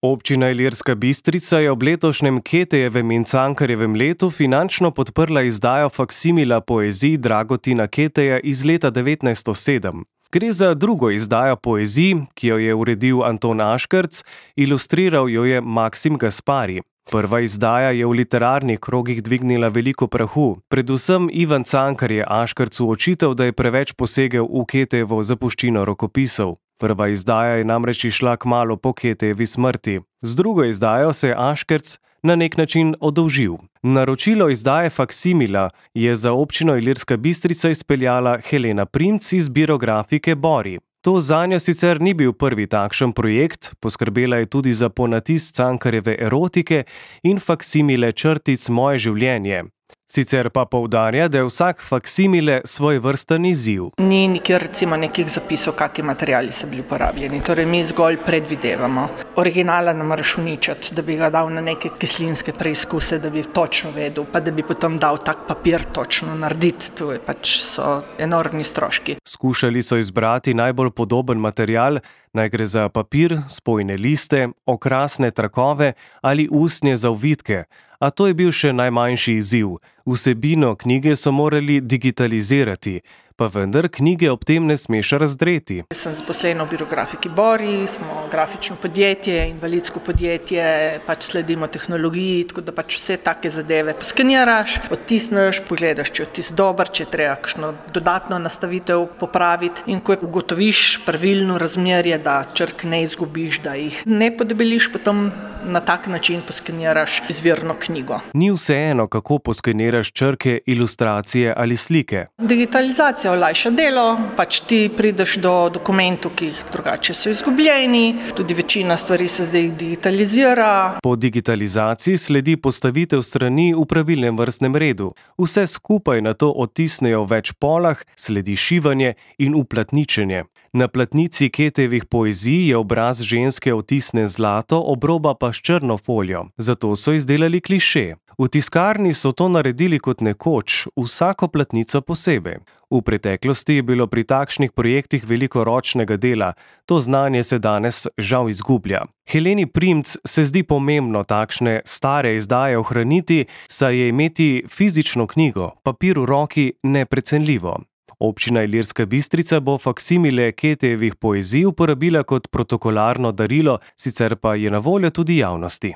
Občina Ilirska Bistrica je ob letošnjem Ketejevem in Cankarjevem letu finančno podprla izdajo faksimila poezij Dragutina Keteja iz leta 1907. Gre za drugo izdajo poezij, ki jo je uredil Anton Aškerc, ilustriral jo je Maksim Gaspari. Prva izdaja je v literarnih krogih dvignila veliko prahu, predvsem Ivan Cankar je Aškercu očital, da je preveč posegel v Ketejevo zapuščino rokopisov. Prva izdaja je namreč išla kmalu po Ketejevi smrti. Z drugo izdajo se je Aškerc na nek način oddolžil. Naročilo izdaje faksimila je za občino Ilirska Bistrica izpeljala Helena Primc iz Birografike Bori. To zanjo sicer ni bil prvi takšen projekt, poskrbela je tudi za ponatis Cankarjeve erotike in faksimile črtic Moje življenje. Sicer pa poudarja, da je vsak faksimile svojevrsten izziv. Ni nikjer recimo nekih zapisov, kakšni materiali so bili uporabljeni, torej mi zgolj predvidevamo. Originala ne moreš uničiti, da bi ga dal na neke kislinske preizkuse, da bi točno vedel, pa da bi potem dal tak papir točno narediti, to je so enormni stroški. Skušali so izbrati najbolj podoben material, naj gre za papir, spojne liste, okrasne trakove ali usnje za ovitke, a to je bil še najmanjši izziv. Vsebino knjige so morali digitalizirati, pa vendar knjige ob tem ne smeš razdreti. Sem zaposlena v Birografiki Bori, smo grafično podjetje, invalidsko podjetje, sledimo tehnologiji, tako da vse take zadeve poskeniraš, odtisneš, pogledaš, če je odtis dober, če je treba kakšno dodatno nastavitev popraviti in ko ugotoviš pravilno razmerje, da črk ne izgubiš, da jih ne podebeliš, potem na tak način poskeniraš izvirno knjigo. Ni vseeno, kako poskeniraš črke, ilustracije ali slike. Digitalizacija olajša delo, ti prideš do dokumentov, ki jih drugače so izgubljeni, tudi večina stvari se zdaj digitalizira. Po digitalizaciji sledi postavitev strani v pravilnem vrstnem redu. Vse skupaj nato odtisnejo v več polah, sledi šivanje in uplatničenje. Na platnici Ketejevih poezij je obraz ženske odtisne zlato, obroba pa s črno folijo. Zato so izdelali kliše. V tiskarni so to naredili kot nekoč, vsako platnico posebej. V preteklosti je bilo pri takšnih projektih veliko ročnega dela, to znanje se danes žal izgublja. Heleni Primc se zdi pomembno takšne stare izdaje ohraniti, saj je imeti fizično knjigo, papir v roki, neprecenljivo. Občina Ilirska Bistrica bo faksimile Ketejevih poezij uporabila kot protokolarno darilo, sicer pa je na voljo tudi javnosti.